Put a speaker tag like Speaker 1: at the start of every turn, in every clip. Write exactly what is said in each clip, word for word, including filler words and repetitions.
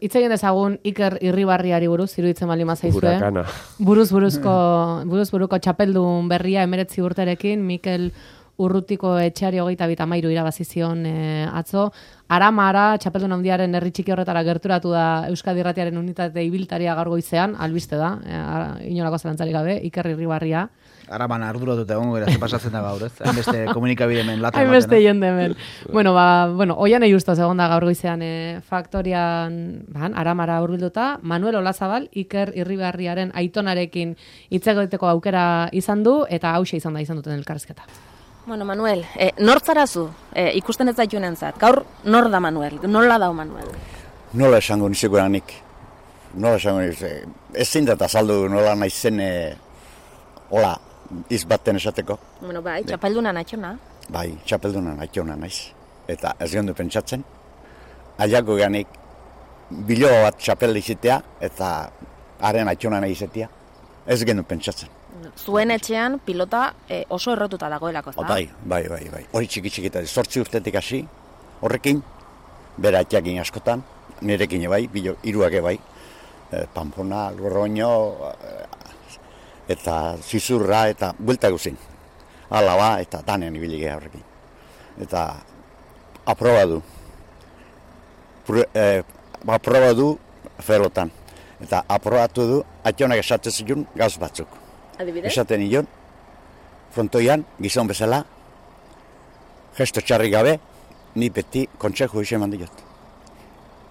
Speaker 1: Hitz egin dezagun Iker Irribarriari buruz, iruditzen baldin bazaizue.
Speaker 2: Hurakana.
Speaker 1: Buruz buruzko, buruz buruko txapeldun berria emeretzi urterekin, Mikel Urrutiko etxeari hogeita bita mairu irabazizion e, atzo. Aramara, txapeldun handiaren herri txiki horretara gerturatu da Euskadi Irratiaren unitate ibiltaria gaur goizean, albiste da, e, inolako zalantzarik gabe, Iker Irribarria.
Speaker 3: Araban arduratuta egongo gara, ze pasatzen da gaur, ez? Hainbeste komunikabide hemen lata.
Speaker 1: Hainbeste jende hemen. bueno, ba, bueno, oian justo egon da gaur goizean e, faktorian, ban, Aramara hurbilduta, Manuel Olazabal, Iker Irribarriaren aitonarekin hitz egiteko aukera izan du, eta hauxe izan da izan duten elkarrizketa.
Speaker 4: Bueno, Manuel, eh, nortzarazu eh, ikusten ez daitxunentzat? Gaur nor da Manuel? Nola da Manuel?
Speaker 5: Nola esango nizeko nik? Nola esango nizeko? Ez zindat azaldu nola naizen, e, hola, izbaten esateko.
Speaker 4: Bueno, bai, txapelduna naitxona.
Speaker 5: Bai, txapelduna naitxona naiz. Eta ez gendu pentsatzen, aiako ganik bilo bat txapel izitea, eta haren naitxona nahi izatea. Ez gendu pentsatzen.
Speaker 4: Zuen etxean pilota eh, oso errotuta dagoelako, ezta?
Speaker 5: Bai, bai, bai, bai. Hori txiki txikita, zortzi urtetik hasi, horrekin, bera atxakin askotan, nirekin bai, bilo, iruake bai, e, Pampona, Lurroño, e, eta Zizurra, eta buelta guzin. Alaba, eta danean ibili geha horrekin. Eta aproba du. Pro, e, aproba du ferotan. Eta aprobatu du, atxonak esatzen zion gauz batzuk.
Speaker 4: Adibidez?
Speaker 5: Esaten nion, frontoian, gizon bezala, gesto txarri gabe, ni beti kontseju isen mandi jot.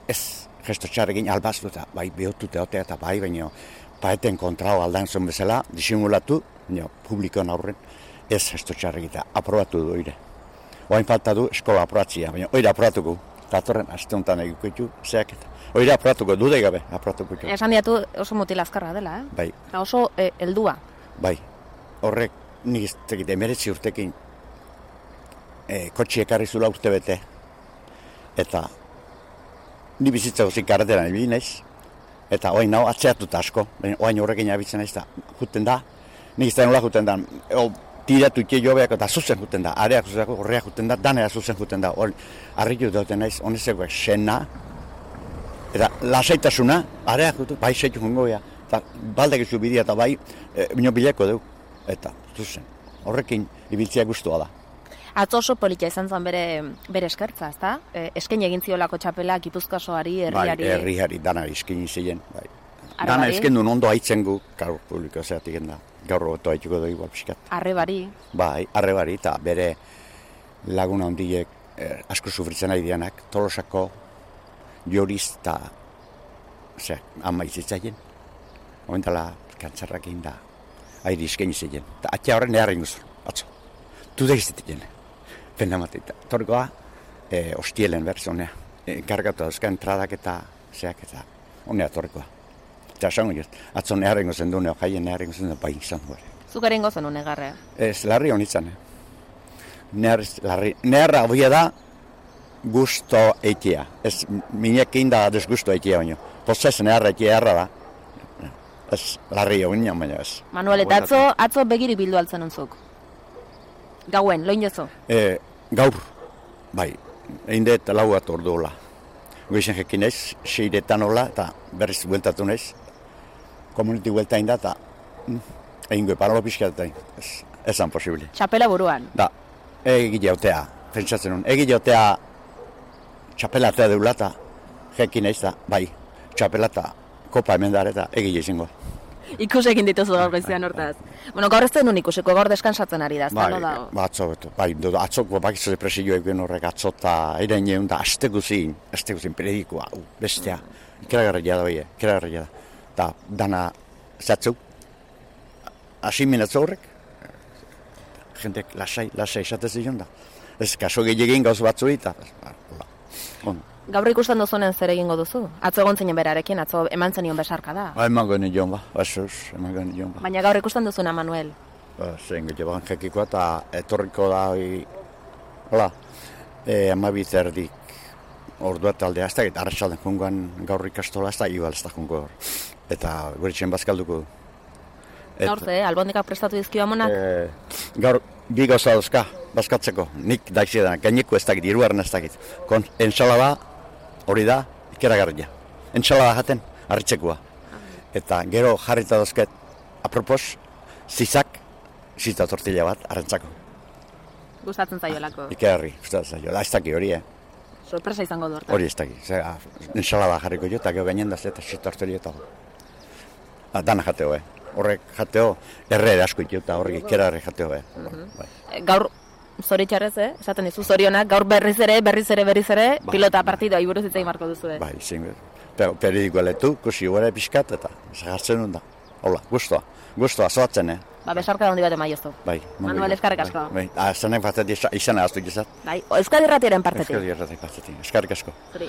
Speaker 5: Ez, gesto txarrekin albaztu eta bai behotute otea eta bai, baina paeten kontrao aldan zon bezala, disimulatu, no, publikoan aurren, ez gesto txarrekin eta aprobatu du oire. Oain falta du eskola aprobatzia, baina oire aprobatuko, datorren aste honetan egikoitu, zeak eta. Oire aprobatuko, dude gabe aprobatuko.
Speaker 4: Esan diatu oso mutil azkarra dela, eh?
Speaker 5: Bai.
Speaker 4: Eta oso eh, heldua.
Speaker 5: Bai, horrek nik ez tekit emeretzi urtekin e, kotxi ekarri zula urte bete. Eta ni bizitza guzik karreteran ibili naiz. Eta oain nao atzeatuta asko, oain horrekin abitzen naiz, eta juten da. Nik ez da nola juten da, o, tiratu ike jobeak eta zuzen juten da. Areak zuzen, horreak juten da, danera zuzen juten da. Arritu duten naiz, honezekoak sena. Eta lasaitasuna, areak juten, bai seitu jongo beha. Eta baldek izu bidea eta bai, e, bino bileko dugu. Eta, zuzen, horrekin ibiltzea guztua da.
Speaker 4: Atzo oso politia izan zen bere, bere eskertza, ezta? E, esken egin ziolako txapela, Gipuzkoasoari, herriari.
Speaker 5: Bai, herriari, danari esken ziren. Bai. Dana esken duen ondo haitzen gu, gaur publiko zeatik da. Gaur roboto haituko dugu igual pixkat.
Speaker 4: Arrebari.
Speaker 5: Bai, arrebari, eta bere laguna hondiek eh, asko sufritzen ari dianak, Tolosako, Joriz eta, ose, ama izitzaien. Omentala, kantzarrak egin da, airi izkeni zeien. Eta atia horren neharren guzur, atzo. Tude izatik jene. Pena mateita. Torgoa, e, ostielen berzonea. E, Kargatu dauzka entradak eta zeak eta honea torgoa. Eta esango jaz, atzo neharren guzen du, neo jaien neharren guzen du, bai izan du ere.
Speaker 4: Zukaren gozen un negarrea?
Speaker 5: Ez, larri honitzen. Nehar, larri. Neharra hoia da, gusto eitea. Ez, minekin da desgusto eitea baino. Pozez neharra eitea erra da. Ez, larri hau ginen, baina ez.
Speaker 4: Manuel, eta atzo, atzo begiri bildu altzen untzuk? Gauen, loin jozo?
Speaker 5: E, gaur, bai, egin dut lau bat ordu hola. Goizen jekin ez, seiretan hola, eta berriz bueltatu naiz. Komuniti buelta egin da, eta egin goi, paralo pixka eta ez, ezan posible.
Speaker 4: Txapela buruan?
Speaker 5: Da, egile hautea, pentsatzen nun, egile hautea txapela hautea deula, eta jekin ez da, bai, txapela eta kopa hemen dara eta egile izango.
Speaker 4: Ikus egin dituzu gaur goizean hortaz. Bueno, gaur ez denun ikusiko, gaur deskansatzen ari da, ez da,
Speaker 5: bai,
Speaker 4: no da?
Speaker 5: Ba, atzo, beto, bai, do, atzoko bakizu depresio egin horrek atzo eta eren jeun da, aste guzin, aste guzin, periodikoa, uh, bestea, ikeragarria da, oie, ikeragarria da. Eta dana zatzeu, asimin atzo horrek, jendeak lasai, lasai esatez zion da. Ez, kaso gehiagin gauz batzu eta, on.
Speaker 4: Gaur ikusten duzunen zer egingo duzu? Atzo egon zinen berarekin, atzo eman zenion besarka da.
Speaker 5: Ba, eman gani joan ba, basuz, eman gani joan ba.
Speaker 4: Baina gaur ikusten duzuna, Manuel?
Speaker 5: Ba, zein gero ban jekikoa eta etorriko da, hoi, hola, e, amabit erdik ordua taldea, ez da, eta arratsalden jungoan gaur ikastola, ez da, igual ez da jungo hor. Eta gure txen bazkalduko.
Speaker 4: Gaur ze, albondikak prestatu dizkio amonak?
Speaker 5: E, gaur, bi gauza dauzka, bazkatzeko, nik daiziedan, gaineko ez dakit, iruaren ez dakit. Kon, ensalada, hori da, ikeragarria. entsalada jaten, harritxekua. Eta gero jarrita dozket, apropos, zizak, zita tortilla bat, arrantzako.
Speaker 4: Gustatzen zaiolako.
Speaker 5: Ikerri, gustatzen zaio. Da, ez daki hori, eh?
Speaker 4: Sorpresa izango du hortan.
Speaker 5: Hori ez daki. Zera, ensalada jarriko jo, eta gero gainen da zeta zita tortilla eta ah, dana jateo, eh? Horrek jateo, erre asko ito, eta horrek ikerarri jateo, eh? Bai.
Speaker 4: Gaur, zoritxarrez, eh? Esaten dizu, zorionak, gaur berriz ere, berriz ere, berriz ere,
Speaker 5: Ba.
Speaker 4: pilota partidoa iburuz itzai marko duzu, eh?
Speaker 5: Bai, zein, periodikoa letu, kusi gure pixkat, eta zagartzen hon da. Hola, gustoa, gustoa, zoatzen, eh?
Speaker 4: Ba, besarka da hondi bat emaiozu.
Speaker 5: Bai,
Speaker 4: Manuel, eskarrik asko.
Speaker 5: Bai, bai. Zanek batetik izan ahaztu gizat.
Speaker 4: Bai, Euskadi Irratiaren partetik.
Speaker 5: Euskadi Irratiaren partetik, eskarrik asko.
Speaker 4: Zuri.